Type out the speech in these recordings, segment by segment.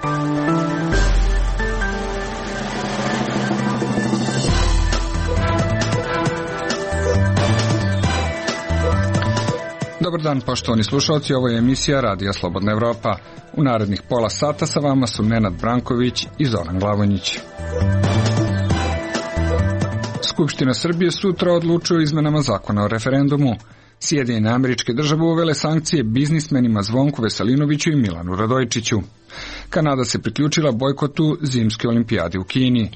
Dobar dan, poštovani slušalci, ovo je emisija Radija Slobodna Evropa. U narednih pola sata sa vama su Nenad Branković i Zoran Glavonjić. Skupština Srbije sutra odlučuje o izmenama zakona o referendumu. Sjedinjene Američke Države uvele sankcije biznismenima Zvonku Veselinoviću i Milanu Radojčiću. Kanada se priključila bojkotu zimske olimpijade u Kini.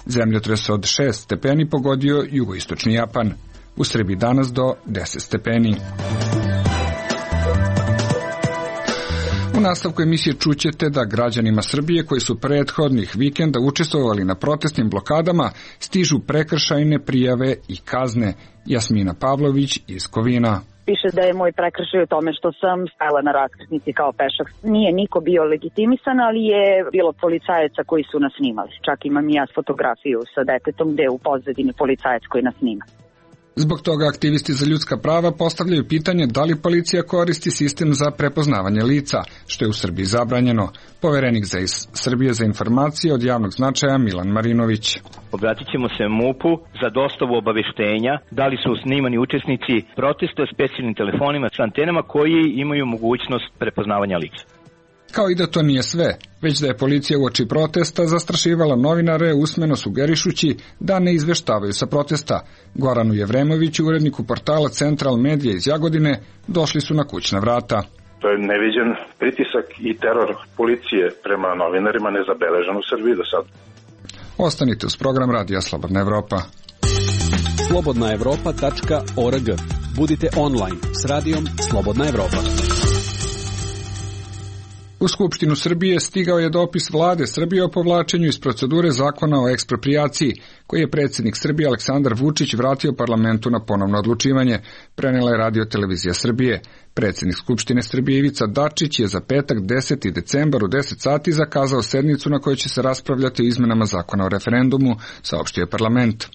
Zemljotres od 6 stepeni pogodio jugoistočni Japan. U Srbiji danas do 10 stepeni. U nastavku emisije čućete da građanima Srbije koji su prethodnih vikenda učestvovali na protestnim blokadama stižu prekršajne prijave i kazne. Jasmina Pavlović iz Kovina. Piše da je moj prekršaj u tome što sam stajala na raskrsnici kao pešak. Nije niko bio legitimisan, ali je bilo policajaca koji su nas snimali. Čak imam i ja fotografiju sa detetom gde je u pozadini policajac koji nas snima. Zbog toga aktivisti za ljudska prava postavljaju pitanje da li policija koristi sistem za prepoznavanje lica, što je u Srbiji zabranjeno. Poverenik za Srbije za informacije od javnog značaja Milan Marinović. Obratit ćemo se MUP-u za dostavu obaveštenja da li su snimani učesnici protesta specijalnim telefonima sa antenama koji imaju mogućnost prepoznavanja lica. Kao i da to nije sve, već da je policija uoči protesta zastrašivala novinare usmeno sugerišući da ne izveštavaju sa protesta. Goranu Jevremoviću, uredniku portala Central Media iz Jagodine, došli su na kućna vrata. To je neviđen pritisak i teror policije prema novinarima nezabeležen u Srbiji do sad. Ostanite uz program Radija Slobodna Evropa. slobodnaevropa.org. Budite online s Radijom Slobodna Evropa. U Skupštinu Srbije stigao je dopis vlade Srbije o povlačenju iz procedure zakona o eksproprijaciji, koji je predsjednik Srbije Aleksandar Vučić vratio parlamentu na ponovno odlučivanje, prenela je Radio televizija Srbije. Predsjednik Skupštine Srbije Ivica Dačić je za petak 10. decembar u 10 sati zakazao sednicu na kojoj će se raspravljati o izmenama zakona o referendumu, saopštio je parlament.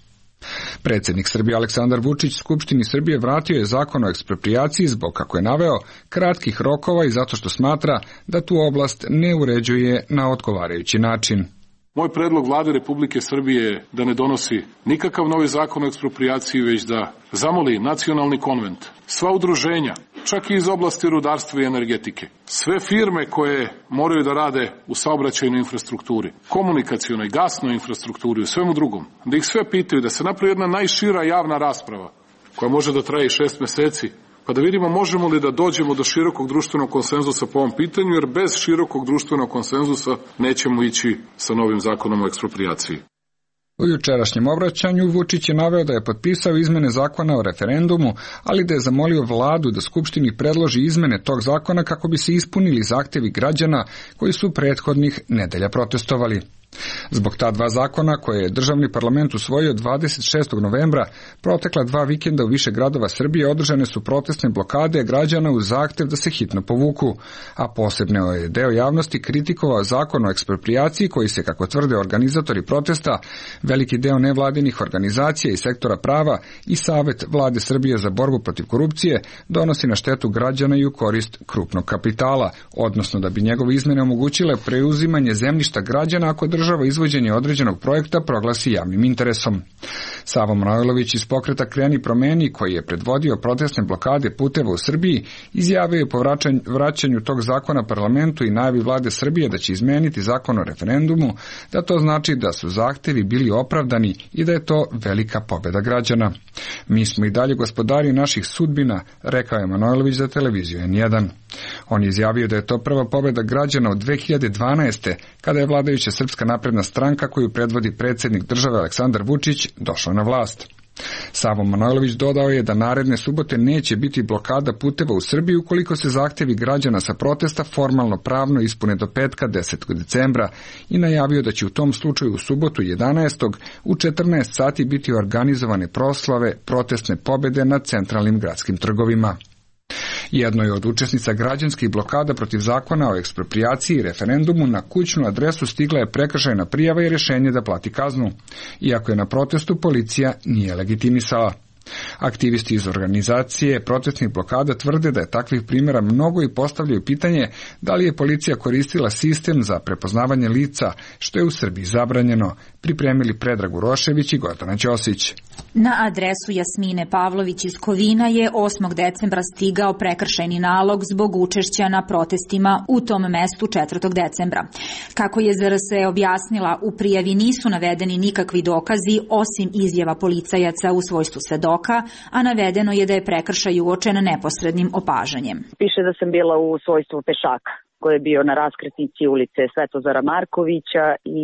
Predsjednik Srbije Aleksandar Vučić Skupštini Srbije vratio je zakon o eksproprijaciji zbog, kako je naveo, kratkih rokova i zato što smatra da tu oblast ne uređuje na odgovarajući način. Moj predlog vlade Republike Srbije je da ne donosi nikakav novi zakon o eksproprijaciji, već da zamoli nacionalni konvent, sva udruženja, čak i iz oblasti rudarstva i energetike, sve firme koje moraju da rade u saobraćajnoj infrastrukturi, komunikacionoj, gasnoj infrastrukturi, u svemu drugom, da ih sve pitaju, da se napravi jedna najšira javna rasprava koja može da traje 6 meseci, pa da vidimo možemo li da dođemo do širokog društvenog konsenzusa po ovom pitanju, jer bez širokog društvenog konsenzusa nećemo ići sa novim zakonom o eksproprijaciji. U jučerašnjem obraćanju Vučić je naveo da je potpisao izmene zakona o referendumu, ali da je zamolio vladu da Skupštini predloži izmene tog zakona kako bi se ispunili zahtevi građana koji su prethodnih nedelja protestovali. Zbog ta dva zakona koje je državni parlament usvojio 26. novembra, protekla 2 vikenda u više gradova Srbije održane su protestne blokade građana uz zahtev da se hitno povuku, a posebno je deo javnosti kritikovao zakon o eksproprijaciji koji se, kako tvrde organizatori protesta, veliki deo nevladinih organizacija i sektora prava i Savet vlade Srbije za borbu protiv korupcije donosi na štetu građana i u korist krupnog kapitala, odnosno da bi njegove izmene omogućile preuzimanje zemljišta građana ako država izvođenje određenog projekta proglasi javnim interesom. Savo Manojlović iz pokreta Kreni promeni, koji je predvodio protestne blokade puteva u Srbiji, izjavio je po vraćanju tog zakona parlamentu i najavi vlade Srbije da će izmeniti zakon o referendumu, da to znači da su zahtevi bili opravdani i da je to velika pobjeda građana. Mi smo i dalje gospodari naših sudbina, rekao je Manojlović za televiziju N1. On je izjavio da je to prva pobjeda građana od 2012. kada je vladajuća Srpska napredna stranka koju predvodi predsjednik države Aleksandar Vučić došla na vlast. Savo Manojlović dodao je da naredne subote neće biti blokada puteva u Srbiji ukoliko se zahtjevi građana sa protesta formalno pravno ispune do petka 10. decembra i najavio da će u tom slučaju u subotu 11. u 14 sati biti organizovane proslave protestne pobjede na centralnim gradskim trgovima. Jednoj od učesnica građanskih blokada protiv zakona o eksproprijaciji i referendumu na kućnu adresu stigla je prekršajna prijava i rješenje da plati kaznu, iako je na protestu policija nije legitimisala. Aktivisti iz organizacije protestnih blokada tvrde da je takvih primjera mnogo i postavljaju pitanje da li je policija koristila sistem za prepoznavanje lica, što je u Srbiji zabranjeno. Pripremili Predrag Urošević i Gordana Ćosić. Na adresu Jasmine Pavlović iz Kovina je 8. decembra stigao prekršajni nalog zbog učešća na protestima u tom mestu 4. decembra. Kako je ZRS objasnila, u prijavi nisu navedeni nikakvi dokazi osim izjava policajaca u svojstvu svedoka, a navedeno je da je prekršaj uočen neposrednim opažanjem. Piše da sam bila u svojstvu pešaka koji je bio na raskrsnici ulice Svetozara Markovića i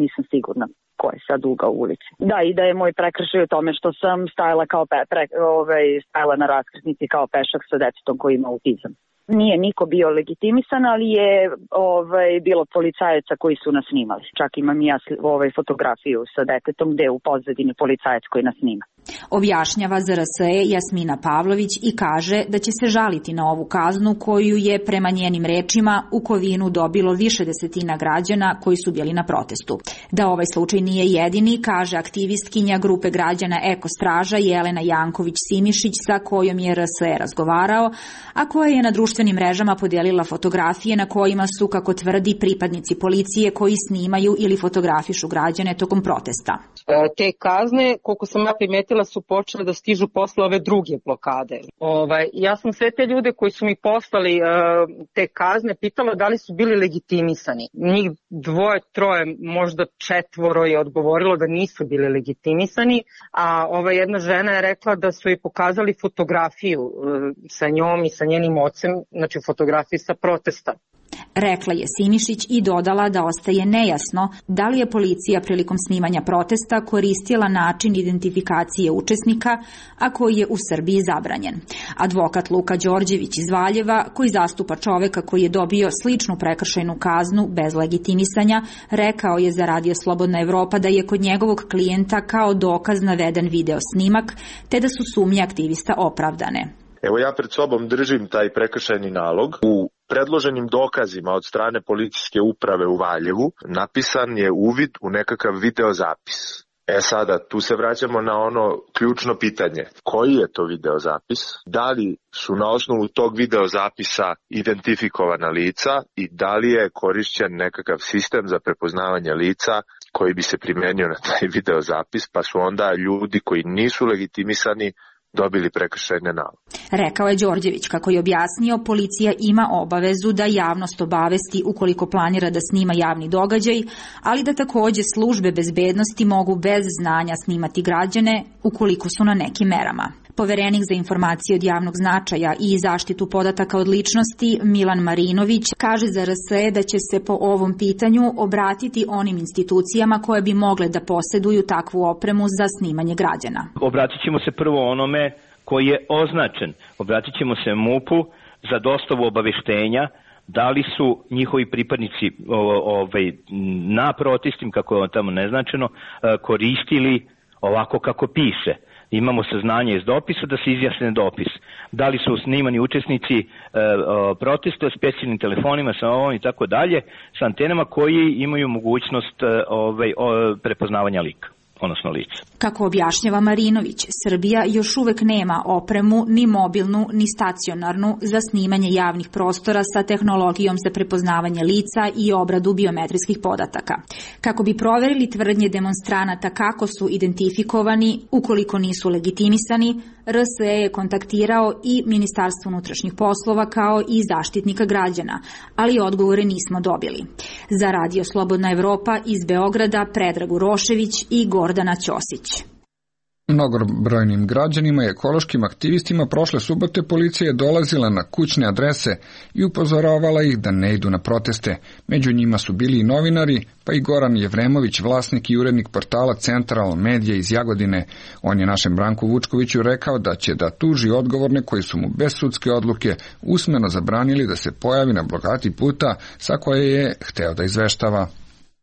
nisam sigurna ko je sad ugao ulice. Da, i da je moj prekršaj u tome što sam stajala stajala na raskrsnici kao pešak sa detetom koji ima autizam. Nije niko bio legitimisan, ali je bilo policajaca koji su nas snimali. Čak imam i ja fotografiju sa detetom gde je u pozadini policajac koji nas snima. Objašnjava ZRS Jasmina Pavlović i kaže da će se žaliti na ovu kaznu koju je prema njenim rečima u Kovinu dobilo više desetina građana koji su bili na protestu. Da ovaj slučaj nije jedini, kaže aktivistkinja grupe građana Eko Straža Jelena Janković-Simišić sa kojom je RSE razgovarao, a koja je na društvenim mrežama podijelila fotografije na kojima su, kako tvrdi, pripadnici policije koji snimaju ili fotografišu građane tokom protesta. Te kazne, koliko sam ja primetila, su počele da stižu posle ove druge blokade. Ja sam sve te ljude koji su mi poslali te kazne pitala da li su bili legitimisani. Njih 2, 3, možda 4 je odgovorilo da nisu bili legitimisani, a ova jedna žena je rekla da su joj pokazali fotografiju sa njom i sa njenim ocem, znači fotografiju sa protesta. Rekla je Simišić i dodala da ostaje nejasno da li je policija prilikom snimanja protesta koristila način identifikacije učesnika, a koji je u Srbiji zabranjen. Advokat Luka Đorđević iz Valjeva, koji zastupa čoveka koji je dobio sličnu prekršajnu kaznu bez legitimisanja, rekao je za Radio Slobodna Evropa da je kod njegovog klijenta kao dokaz naveden video snimak, te da su sumnje aktivista opravdane. Evo ja pred sobom držim taj prekršajni nalog. U predloženim dokazima od strane policijske uprave u Valjevu napisan je uvid u nekakav videozapis. Sada, tu se vraćamo na ono ključno pitanje. Koji je to videozapis? Da li su na osnovu tog videozapisa identifikovana lica i da li je korišćen nekakav sistem za prepoznavanje lica koji bi se primenio na taj videozapis, pa su onda ljudi koji nisu legitimisani dobili prekršajne naloge. Rekao je Đorđević. Kako je objasnio, policija ima obavezu da javnost obavesti ukoliko planira da snima javni događaj, ali da takođe službe bezbednosti mogu bez znanja snimati građane ukoliko su na nekim merama. Poverenik za informacije od javnog značaja i zaštitu podataka od ličnosti Milan Marinović kaže za RSE da će se po ovom pitanju obratiti onim institucijama koje bi mogle da poseduju takvu opremu za snimanje građana. Obratit ćemo se prvo onome koji je označen. Obratit ćemo se MUP-u za dostavu obaveštenja da li su njihovi pripadnici na protestima, kako je tamo neznačeno, koristili ovako kako piše. Imamo saznanje iz dopisa da se izjasne dopis. Da li su snimani učesnici protesta specijalnim telefonima sa ovom i tako dalje, sa antenama koji imaju mogućnost prepoznavanja lika, odnosno lica. Kako objašnjava Marinović, Srbija još uvek nema opremu ni mobilnu ni stacionarnu za snimanje javnih prostora sa tehnologijom za prepoznavanje lica i obradu biometrijskih podataka. Kako bi proverili tvrdnje demonstranata kako su identifikovani ukoliko nisu legitimisani, RSE je kontaktirao i Ministarstvo unutrašnjih poslova kao i Zaštitnika građana, ali odgovore nismo dobili. Za Radio Slobodna Evropa iz Beograda Predrag Urošević i Gordana Ćosić. Mnogobrojnim građanima i ekološkim aktivistima prošle subote policija je dolazila na kućne adrese i upozoravala ih da ne idu na proteste. Među njima su bili i novinari, pa i Goran Jevremović, vlasnik i urednik portala Central Medija iz Jagodine. On je našem Branku Vučkoviću rekao da će da tuži odgovorne koji su mu bez sudske odluke usmeno zabranili da se pojavi na blokadi puta sa koje je hteo da izveštava.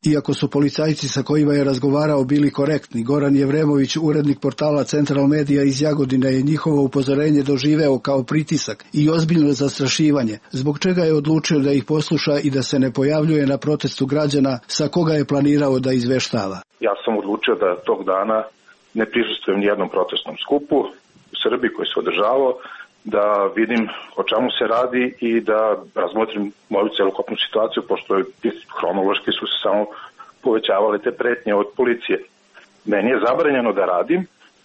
Iako su policajci sa kojima je razgovarao bili korektni, Goran Jevremović, urednik portala Central Medija iz Jagodine, je njihovo upozorenje doživeo kao pritisak i ozbiljno zastrašivanje, zbog čega je odlučio da ih posluša i da se ne pojavljuje na protestu građana sa koga je planirao da izveštava. Ja sam odlučio da tog dana ne prisustvujem nijednom protestnom skupu Srbiji koji se održavao, da vidim o čemu se radi i da razmotrim moju celokupnu situaciju, pošto hronološki su se samo povećavale te pretnje od policije. Meni je zabranjeno da radim,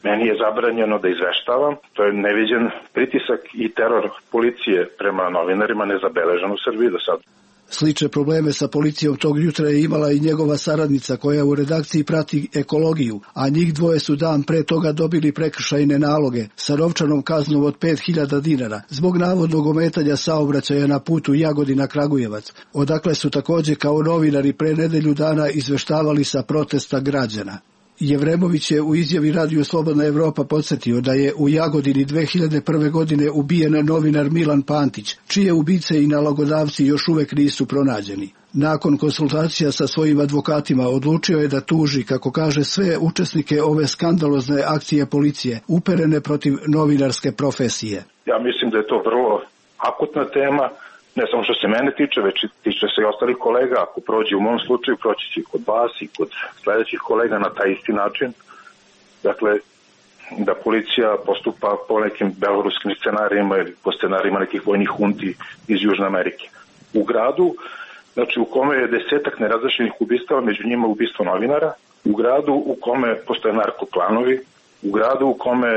meni je zabranjeno da izveštavam, to je neviđen pritisak i teror policije prema novinarima nezabeležen u Srbiji do sada. Slične probleme sa policijom tog jutra je imala i njegova saradnica koja u redakciji prati ekologiju, a njih dvoje su dan pre toga dobili prekršajne naloge sa novčanom kaznom od 5.000 dinara zbog navodnog ometanja saobraćaja na putu Jagodina-Kragujevac, odakle su takođe kao novinari pre nedelju dana izveštavali sa protesta građana. Jevremović je u izjavi Radio Slobodna Evropa podsjetio da je u Jagodini 2001. godine ubijen novinar Milan Pantić, čije ubice i nalogodavci još uvek nisu pronađeni. Nakon konsultacija sa svojim advokatima odlučio je da tuži, kako kaže, sve učesnike ove skandalozne akcije policije uperene protiv novinarske profesije. Ja mislim da je to vrlo akutna tema, ne samo što se mene tiče, već tiče se i ostalih kolega. Ako prođe u mom slučaju, proći će kod vas i kod sledećih kolega na taj isti način. Dakle, da policija postupa po nekim beloruskim scenarijima ili po scenarijima nekih vojnih hunti iz Južne Amerike. U gradu, znači u kome je 10 nerazrešenih ubistava, među njima ubistvo novinara, u gradu u kome postoje narkoklanovi, u gradu u kome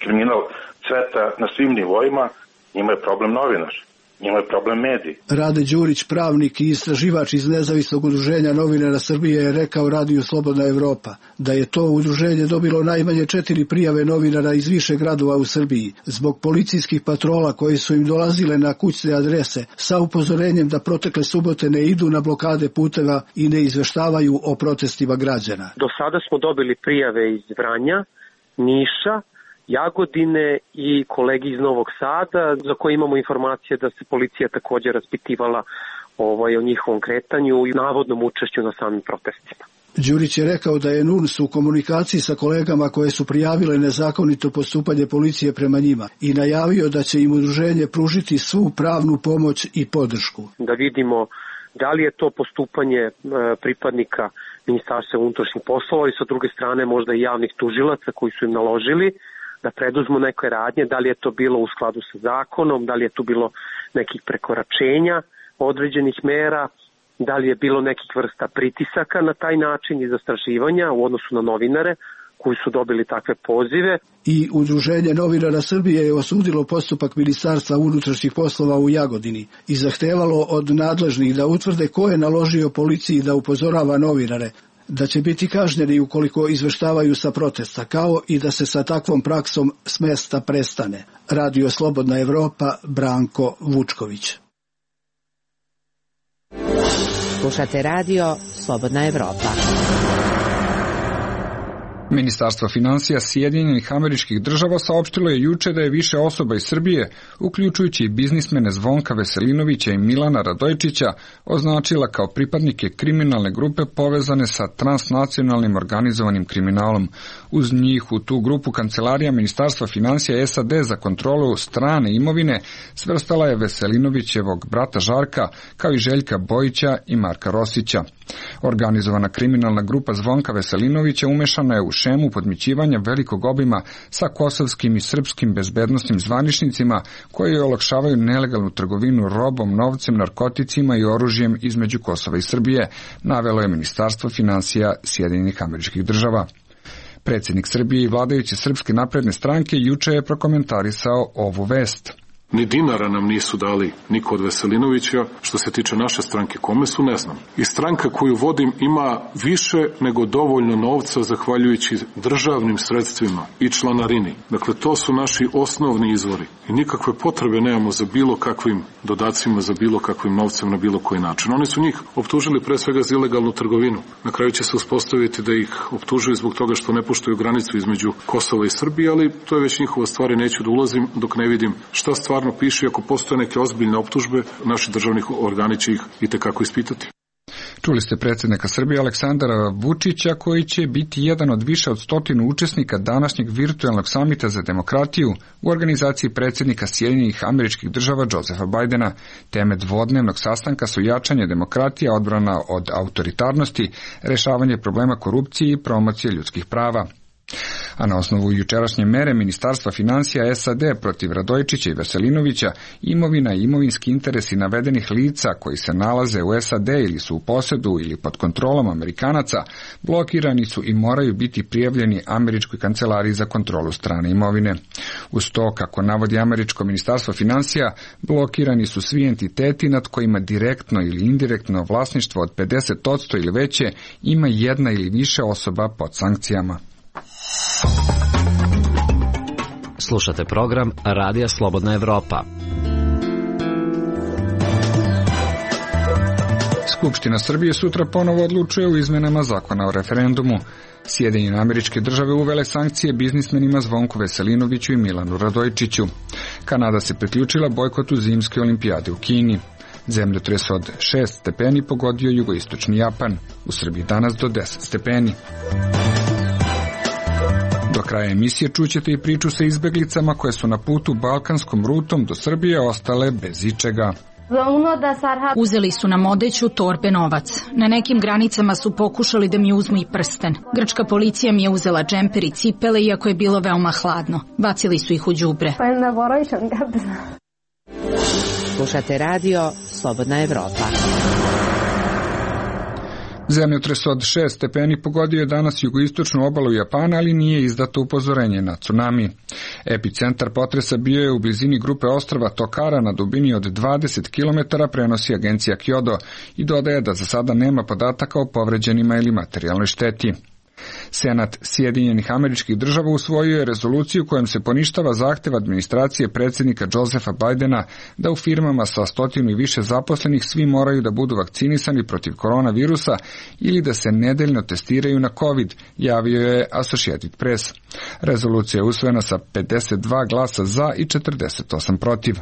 kriminal cveta na svim nivoima, njima je problem novinar. Njima je problem mediji. Rade Đurić, pravnik i istraživač iz Nezavisnog udruženja novinara Srbije, je rekao Radiju Slobodna Evropa da je to udruženje dobilo najmanje 4 prijave novinara iz više gradova u Srbiji zbog policijskih patrola koji su im dolazile na kućne adrese sa upozorenjem da protekle subote ne idu na blokade puteva i ne izveštavaju o protestima građana. Do sada smo dobili prijave iz Vranja, Niša, Jagodine i kolegi iz Novog Sada, za koje imamo informacije da se policija također raspitivala o njihovom kretanju i navodnom učešću na samim protestima. Đurić je rekao da je NUNS u komunikaciji sa kolegama koje su prijavile nezakonito postupanje policije prema njima i najavio da će im udruženje pružiti svu pravnu pomoć i podršku. Da vidimo da li je to postupanje pripadnika Ministarstva unutrašnjih poslova i sa druge strane možda i javnih tužilaca koji su im naložili da preduzmu neke radnje, da li je to bilo u skladu sa zakonom, da li je tu bilo nekih prekoračenja određenih mera, da li je bilo nekih vrsta pritisaka na taj način i zastrašivanja u odnosu na novinare koji su dobili takve pozive. I Udruženje novinara Srbije je osudilo postupak Ministarstva unutrašnjih poslova u Jagodini i zahtevalo od nadležnih da utvrde ko je naložio policiji da upozorava novinare, da će biti kažnjeni ukoliko izveštavaju sa protesta, kao i da se sa takvom praksom s mesta prestane. Radio Slobodna Evropa, Branko Vučković. Slušate Radio Slobodna Evropa. Ministarstvo finansija Sjedinjenih Američkih Država saopštilo je juče da je više osoba iz Srbije, uključujući i biznismene Zvonka Veselinovića i Milana Radojčića, označila kao pripadnike kriminalne grupe povezane sa transnacionalnim organizovanim kriminalom. Uz njih u tu grupu Kancelarija Ministarstva finansija SAD za kontrolu strane imovine svrstala je Veselinovićevog brata Žarka, kao i Željka Bojića i Marka Rosića. Organizovana kriminalna grupa Zvonka Veselinovića umešana je u šemu podmićivanja velikog obima sa kosovskim i srpskim bezbednosnim zvaničnicima koji olakšavaju nelegalnu trgovinu robom, novcem, narkoticima i oružjem između Kosova i Srbije, navelo je Ministarstvo finansija Sjedinjenih Američkih Država. Predsjednik Srbije i vladajuće Srpske napredne stranke juče je prokomentarisao ovu vest. Ni dinara nam nisu dali niko od Veselinovića. Što se tiče naše stranke, kome su, ne znam. I stranka koju vodim ima više nego dovoljno novca zahvaljujući državnim sredstvima i članarini. Dakle, to su naši osnovni izvori. I nikakve potrebe nemamo za bilo kakvim dodacima, za bilo kakvim novcem na bilo koji način. Oni su njih optužili pre svega za ilegalnu trgovinu. Na kraju će se uspostaviti da ih optužuju zbog toga što ne poštuju granicu između Kosova i Srbije, ali to je već njihova stvar i neću da ulazim dok ne vidim šta stvarno piše. Ako postoje neke ozbiljne optužbe, naši državni organi će ih itekako ispitati. Čuli ste predsjednika Srbije Aleksandra Vučića, koji će biti jedan od više od 100 učesnika današnjeg virtualnog samita za demokratiju u organizaciji predsjednika Sjedinjenih Američkih Država Josefa Bajdena. Teme dvodnevnog sastanka su jačanje demokratije, odbrana od autoritarnosti, rešavanje problema korupcije i promocije ljudskih prava. A na osnovu jučerašnje mere Ministarstva finansija SAD protiv Radojčića i Veselinovića, imovina i imovinski interesi navedenih lica koji se nalaze u SAD ili su u posedu ili pod kontrolom Amerikanaca blokirani su i moraju biti prijavljeni Američkoj kancelariji za kontrolu strane imovine. Uz to, kako navodi Američko ministarstvo finansija, blokirani su svi entiteti nad kojima direktno ili indirektno vlasništvo od 50% ili veće ima jedna ili više osoba pod sankcijama. Slušate program Radija Slobodna Evropa. Skupština Srbije sutra ponovo odlučuje o izmenama zakona o referendumu. Sjedinjene Američke Države uvele sankcije biznismenima Zvonku Veselinoviću i Milanu Radojčiću. Kanada se priključila bojkotu zimske olimpijade u Kini. Zemljotres od 6 stepeni pogodio jugoistočni Japan. U Srbiji danas do 10 stepeni. Do kraja emisije čućete i priču sa izbeglicama koje su na putu balkanskom rutom do Srbije ostale bez ičega. Uzeli su nam odeću, torbe, novac. Na nekim granicama su pokušali da mi uzmu i prsten. Grčka policija mi je uzela džemper i cipele, iako je bilo veoma hladno. Bacili su ih u đubre. Slušate radio Slobodna Evropa. Zemljotres od 6 stepeni pogodio je danas jugoistočnu obalu Japana, ali nije izdato upozorenje na tsunami. Epicentar potresa bio je u blizini grupe ostrva Tokara na dubini od 20 km, prenosi agencija Kyodo i dodaje da za sada nema podataka o povređenima ili materijalnoj šteti. Senat Sjedinjenih Američkih Država usvojio je rezoluciju kojom se poništava zahtev administracije predsjednika Josepha Bidena da u firmama sa 100 i više zaposlenih svi moraju da budu vakcinisani protiv koronavirusa ili da se nedeljno testiraju na COVID, javio je Associated Press. Rezolucija je usvojena sa 52 glasa za i 48 protiv.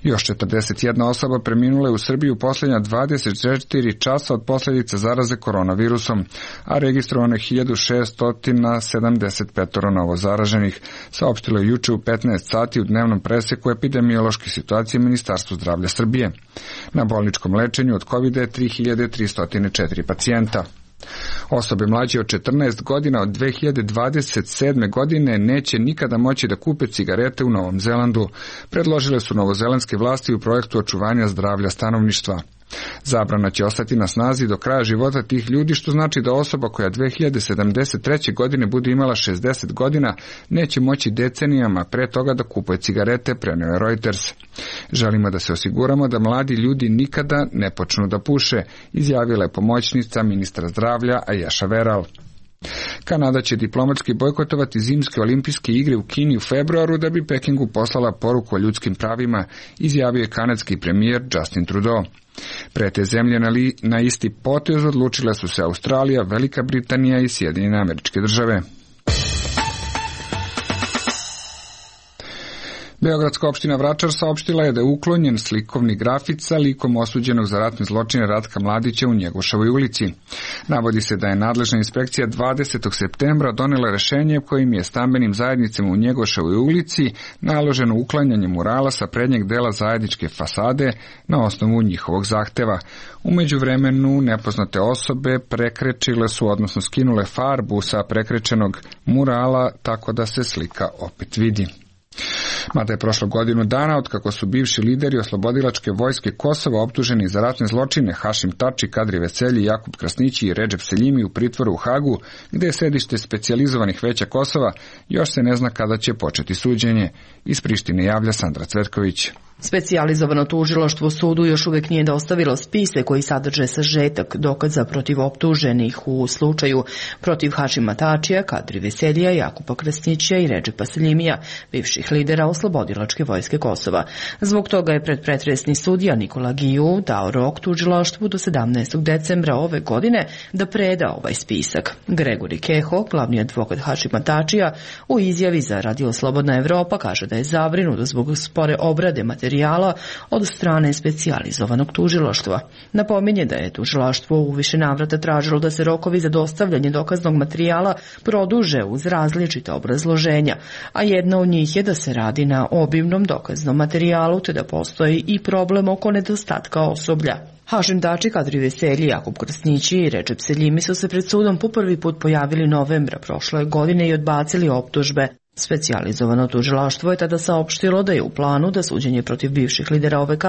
Još 41 osoba preminula je u Srbiji u posljednja 24 časa od posljedica zaraze koronavirusom, a registrovano je 1675 novo zaraženih, saopštilo je juče u 15 sati u dnevnom preseku epidemiološke situacije Ministarstva zdravlja Srbije. Na bolničkom lečenju od COVID-a je 3304 pacijenta. Osobe mlađe od 14 godina od 2027. godine neće nikada moći da kupe cigarete u Novom Zelandu, predložile su novozelandske vlasti u projektu očuvanja zdravlja stanovništva. Zabrana će ostati na snazi do kraja života tih ljudi, što znači da osoba koja 2073. godine bude imala 60 godina neće moći decenijama pre toga da kupuje cigarete, preneo je Reuters. Želimo da se osiguramo da mladi ljudi nikada ne počnu da puše, izjavila je pomoćnica ministra zdravlja Aješa Veral. Kanada će diplomatski bojkotovati zimske olimpijske igre u Kini u februaru da bi Pekingu poslala poruku o ljudskim pravima, izjavio je kanadski premijer Justin Trudeau. Pre te zemlje na isti potez odlučile su se Australija, Velika Britanija i Sjedinjene Američke Države. Beogradska opština Vračar saopštila je da je uklonjen slikovni grafit sa likom osuđenog za ratne zločine Ratka Mladića u Njegoševoj ulici. Navodi se da je nadležna inspekcija 20. septembra donela rešenje kojim je stambenim zajednicama u Njegoševoj ulici naloženo uklanjanje murala sa prednjeg dela zajedničke fasade na osnovu njihovog zahteva. U međuvremenu nepoznate osobe prekrečile su, odnosno skinule farbu sa prekrečenog murala tako da se slika opet vidi. Mada je prošlo godinu dana od kako su bivši lideri oslobodilačke vojske Kosova optuženi za ratne zločine Hašim Tači, Kadri Veselji, Jakub Krasnići i Redžep Seljimi u pritvoru u Hagu, gde je sedište specijalizovanih veća Kosova, još se ne zna kada će početi suđenje. Iz Prištine javlja Sandra Cvetković. Specijalizovano tužilaštvo sudu još uvijek nije dostavilo spise koji sadrže sažetak dokaza protiv optuženih u slučaju protiv Hašima Tačija, Kadri Veseljija, Jakupa Krasnića i Redžepa Seljimija, bivših lidera oslobodilačke vojske Kosova. Zbog toga je predpretresni sudija Nikola Giju dao rok tužilaštvu do 17. decembra ove godine da preda ovaj spisak. Gregori Keho, glavni advokat Hašima Tačija, u izjavi za Radio Slobodna Evropa kaže da je zabrinut zbog spore obrade materijala od strane specijalizovanog tužilaštva. Napominje da je tužilaštvo u više navrata tražilo da se rokovi za dostavljanje dokaznog materijala produže uz različita obrazloženja, a jedna od njih je da se radi na obimnom dokaznom materijalu te da postoji i problem oko nedostatka osoblja. Hašim Tači, Kadri Veselji, Jakub Krasnići i Recep Seljimi su se pred sudom po prvi put pojavili novembra prošle godine i odbacili optužbe. Specijalizovano tužilaštvo je tada saopštilo da je u planu da suđenje protiv bivših lidera OVK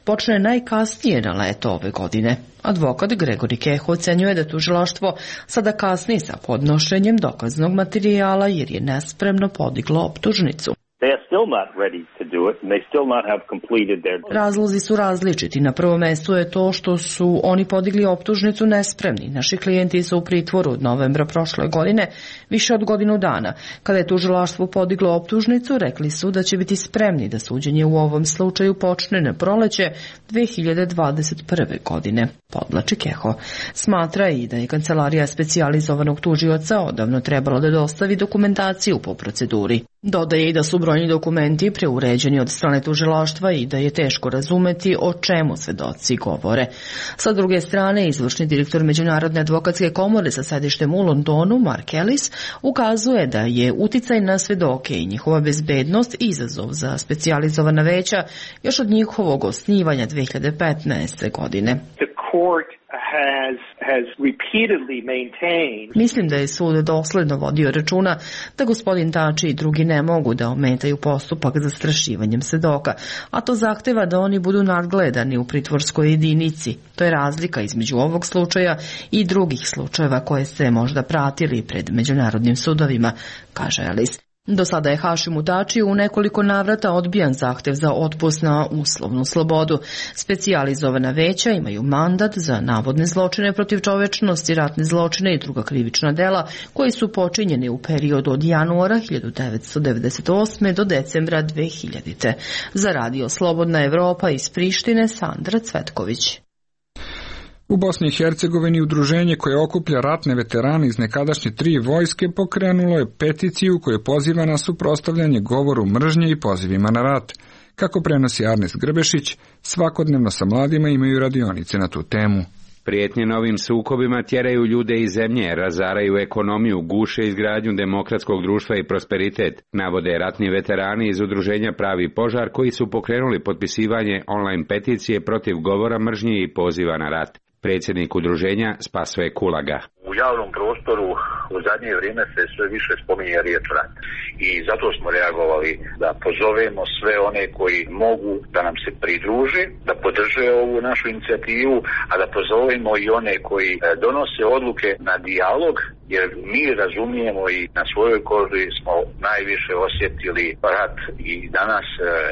počne najkasnije na leto ove godine. Advokat Gregori Keho ocenjuje da tužilaštvo sada kasni sa podnošenjem dokaznog materijala jer je nespremno podiglo optužnicu. Razlozi su različiti. Na prvom mestu je to što su oni podigli optužnicu nespremni. Naši klijenti su u pritvoru od novembra prošle godine više od godinu dana. Kada je tužilaštvo podiglo optužnicu, rekli su da će biti spremni da suđenje u ovom slučaju počne na proleće 2021. godine. Podlači Keho. Smatra i da je kancelarija specijalizovanog tužioca odavno trebalo da dostavi dokumentaciju po proceduri. Dodaje i da su brojni dokumenti preuređeni od strane tužilaštva i da je teško razumeti o čemu svedoci govore. Sa druge strane, izvršni direktor Međunarodne advokatske komore sa sedištem u Londonu, Mark Ellis, ukazuje da je uticaj na svedoke i njihova bezbednost izazov za specijalizovana veća još od njihovog osnivanja 2015. godine. Mislim da je sud dosledno vodio računa da gospodin Tači i drugi ne mogu da ometaju postupak zastrašivanjem svedoka, a to zahteva da oni budu nadgledani u pritvorskoj jedinici. To je razlika između ovog slučaja i drugih slučajeva koje ste možda pratili pred međunarodnim sudovima, kaže Ellis. Do sada je Hašimu Tači u nekoliko navrata odbijan zahtev za otpust na uslovnu slobodu. Specijalizovana veća imaju mandat za navodne zločine protiv čovečnosti, ratne zločine i druga krivična dela koji su počinjeni u periodu od januara 1998. do decembra 2000. Za Radio Slobodna Evropa iz Prištine, Sandra Cvetković. U Bosni i Hercegovini udruženje koje okuplja ratne veterane iz nekadašnje 3 vojske pokrenulo je peticiju koju poziva na suprotstavljanje govoru mržnje i pozivima na rat. Kako prenosi Arnes Grbešić, svakodnevno sa mladima imaju radionice na tu temu. Prijetnje novim sukobima tjeraju ljude iz zemlje, razaraju ekonomiju, guše izgradnju demokratskog društva i prosperitet, navode ratni veterani iz udruženja Pravi požar koji su pokrenuli potpisivanje online peticije protiv govora mržnje i poziva na rat. Predsjednik udruženja Spasoje Kulaga. U javnom prostoru u zadnje vrijeme se sve više spominje riječ rat. I zato smo reagovali da pozovemo sve one koji mogu da nam se pridruže, da podrže ovu našu inicijativu, a da pozovemo i one koji donose odluke na dijalog, jer mi razumijemo i na svojoj koži smo najviše osjetili rat i danas,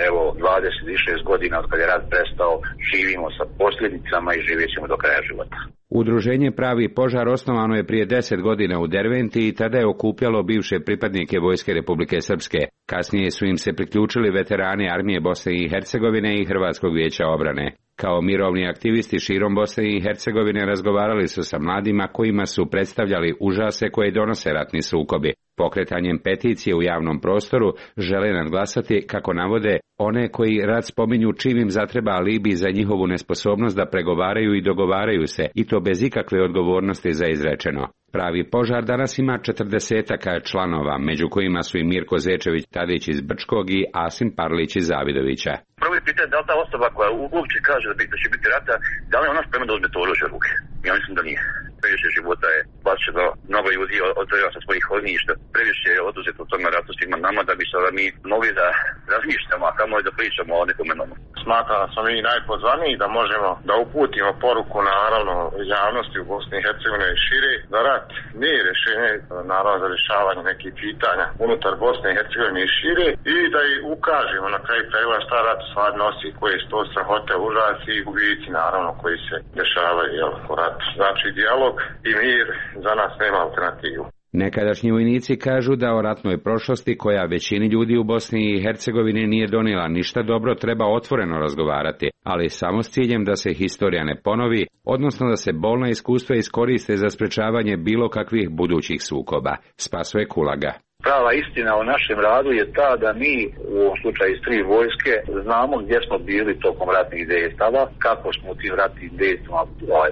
evo, 26 godina od kada je rat prestao, živimo sa posljedicama i živjet ćemo do kraja života. Udruženje Pravi požar osnovano je prije 10 godina u Derventi i tada je okupljalo bivše pripadnike Vojske Republike Srpske. Kasnije su im se priključili veterani Armije Bosne i Hercegovine i Hrvatskog vijeća obrane. Kao mirovni aktivisti širom Bosne i Hercegovine razgovarali su sa mladima kojima su predstavljali užase koje donose ratni sukobi. Pokretanjem peticije u javnom prostoru žele nadglasati, kako navode, one koji rat spominju čim im zatreba alibi za njihovu nesposobnost da pregovaraju i dogovaraju se, i to bez ikakve odgovornosti za izrečeno. Pravi požar danas ima 40 članova, među kojima su i Mirko Zečević Tadić iz Brčkog i Asim Parlić iz Zavidovića. Prvo je pitanje da li ta osoba koja uopće kaže da će biti rata, da li je ona spremna da uzme to oružje u ruke? Ja mislim da nije. Previše života je bačeno, mnogo ljudi odveo sa svojih ognjišta, previše je oduzeto u tome ratu svima nama da bi sada mi mogli da razmišljamo, a kamo je da pričamo o nekome nomu. Smatram da smo mi najpozvaniji da možemo da uputimo poruku naravno javnosti u Bosni i Hercegovini i šire, da rat nije rješenje naravno za rješavanje nekih pitanja unutar Bosne i Hercegovine i šire i da i ukažemo na kraju krajeva šta rat stvar nosi, koje su to strahote, užasi i gubici naravno koji se dešavaju u ratu. Znači dijalog i mir za nas nema alternativu. Nekadašnji vojnici kažu da o ratnoj prošlosti, koja većini ljudi u Bosni i Hercegovini nije donijela ništa dobro, treba otvoreno razgovarati, ali samo s ciljem da se historija ne ponovi, odnosno da se bolna iskustva iskoriste za sprečavanje bilo kakvih budućih sukoba. Spasoje Kulaga. Prava istina o našem radu je ta da mi, u ovom slučaju iz 3 vojske, znamo gdje smo bili tokom ratnih dejstava, kako smo u tim ratnim dejstvima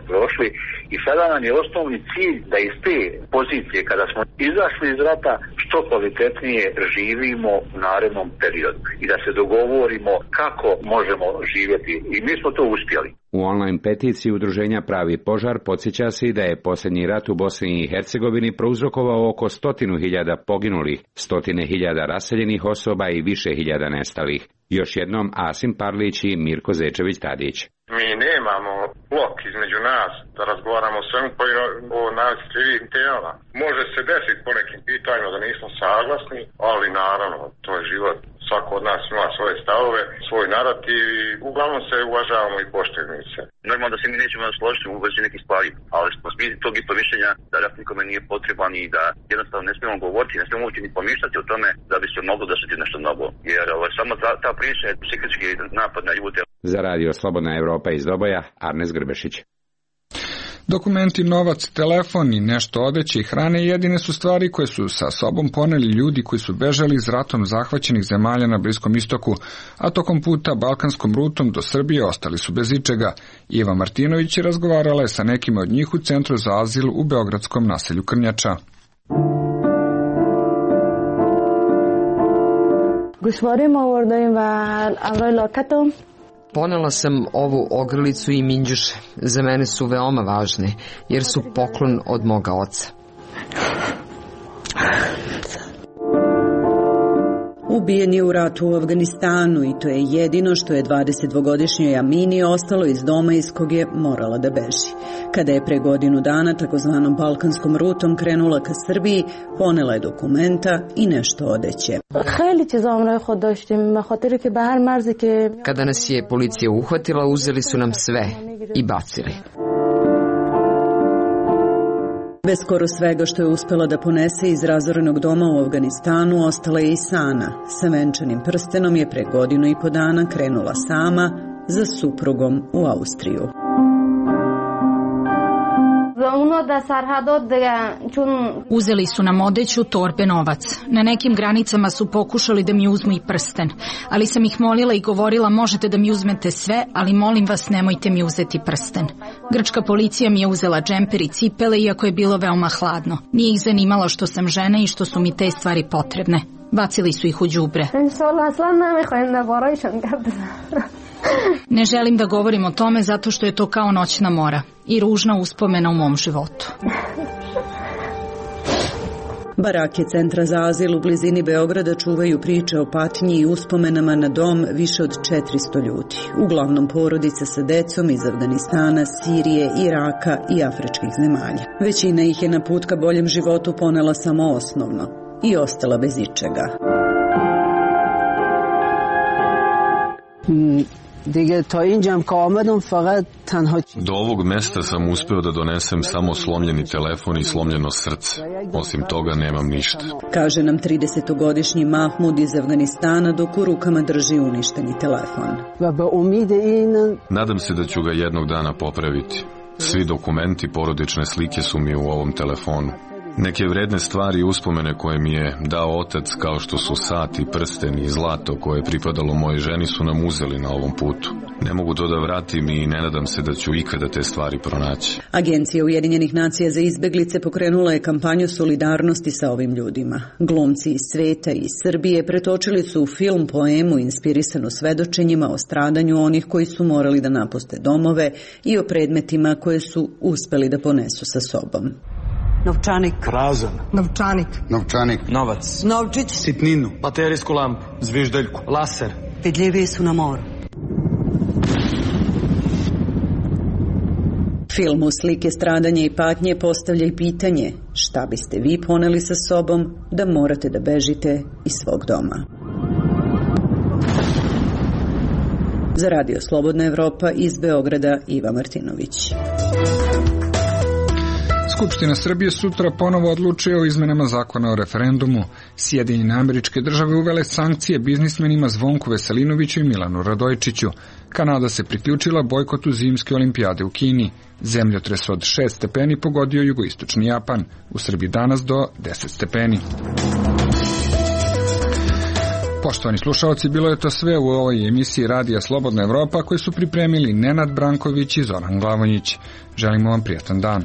prošli i sada nam je osnovni cilj da iz te pozicije, kada smo izašli iz rata, što što kvalitetnije živimo u narednom periodu i da se dogovorimo kako možemo živjeti i mi smo to uspjeli. U online peticiji udruženja Pravi požar podsjeća se da je posljednji rat u Bosni i Hercegovini prouzrokovao oko 100.000 poginulih, 100.000 raseljenih osoba i više hiljada nestalih. Još jednom Asim Parlić i Mirko Zečević-Tadić. Mi nemamo blok između nas da razgovaramo o svemu o najosjetljivijim temama. Može se desiti po nekim pitanjima da nismo saglasni, ali naravno, to je život. Svako od nas ima svoje stavove, svoj narativ i uglavnom se uvažavamo i poštujemo se. Normalno da se mi nećemo složiti u vezi nekih stvari, ali smo svi tog isto mišljenja da rat nikome nije potreban i da jednostavno ne smijemo govoriti, ne smijemo uopće ni pomišljati o tome da bi se moglo desiti nešto novo. Jer samo ta priča je psihički napad na ljude. Za radio Slobodna Evropa iz Doboja, Arnes Grbešić. Dokumenti, novac, telefon i nešto odeće i hrane jedine su stvari koje su sa sobom poneli ljudi koji su bežali iz ratom zahvaćenih zemalja na Bliskom istoku, a tokom puta balkanskom rutom do Srbije ostali su bez ičega. Iva Martinović razgovarala je sa nekima od njih u Centru za azil u beogradskom naselju Krnjača. Ponela sam ovu ogrlicu i minđuše. Za mene su veoma važne, jer su poklon od moga oca. Ubijen je u ratu u Afganistanu i to je jedino što je 22-godišnjoj Amini ostalo iz doma iz kog je morala da beži. Kada je pre godinu dana takozvanom balkanskom rutom krenula ka Srbiji, ponela je dokumenta i nešto odeće. Kada nas je policija uhvatila, uzeli su nam sve i bacili. Bez skoro svega što je uspela da ponese iz razorenog doma u Afganistanu, ostala je i Sana. Sa venčanim prstenom je pre godinu i po dana krenula sama za suprugom u Austriju. Uzeli su nam odeću, torbe, novac. Na nekim granicama su pokušali da mi uzmu i prsten, ali sam ih molila i govorila možete da mi uzmete sve, ali molim vas nemojte mi uzeti prsten. Grčka policija mi je uzela džemper i cipele iako je bilo veoma hladno. Nije ih zanimalo što sam žena i što su mi te stvari potrebne. Bacili su ih u đubre. Ne želim da govorim o tome zato što je to kao noćna mora i ružna uspomena u mom životu. Barake Centra za azil u blizini Beograda čuvaju priče o patnji i uspomenama na dom više od 400 ljudi. Uglavnom porodice sa decom iz Afganistana, Sirije, Iraka i afričkih zemalja. Većina ih je na put ka boljem životu ponela samo osnovno i ostala bez ičega. Do ovog mesta sam uspeo da donesem samo slomljeni telefon i slomljeno srce. Osim toga nemam ništa. Kaže nam 30-godišnji Mahmud iz Afganistana dok u rukama drži uništeni telefon. Nadam se da ću ga jednog dana popraviti. Svi dokumenti, porodične slike su mi u ovom telefonu. Neke vredne stvari i uspomene koje mi je dao otac, kao što su sat i prsten i zlato koje je pripadalo mojoj ženi, su nam uzeli na ovom putu. Ne mogu to da vratim i ne nadam se da ću ikada te stvari pronaći. Agencija Ujedinjenih nacija za izbeglice pokrenula je kampanju solidarnosti sa ovim ljudima. Glumci iz sveta i iz Srbije pretočili su u film poemu inspirisanu svedočenjima o stradanju onih koji su morali da napuste domove i o predmetima koje su uspeli da ponesu sa sobom. Novčanik. Prazan. Novčanik. Novčanik. Novac. Novčić. Sitninu. Baterijsku lampu. Zviždeljku. Laser. Vidljiviji su na moru. Film u slike stradanja i patnje postavlja i pitanje šta biste vi poneli sa sobom da morate da bežite iz svog doma. Za radio Slobodna Evropa iz Beograda, Iva Martinović. Skupština Srbije sutra ponovo odlučuje o izmenama zakona o referendumu. Sjedinjene Američke Države uvele sankcije biznismenima Zvonku Veselinoviću i Milanu Radojčiću. Kanada se priključila bojkotu zimske olimpijade u Kini. Zemljotres od 6 stepeni pogodio jugoistočni Japan. U Srbiji danas do 10 stepeni. Poštovani slušalci, bilo je to sve u ovoj emisiji Radija Slobodna Evropa koju su pripremili Nenad Branković i Zoran Glavonjić. Želimo vam prijatan dan.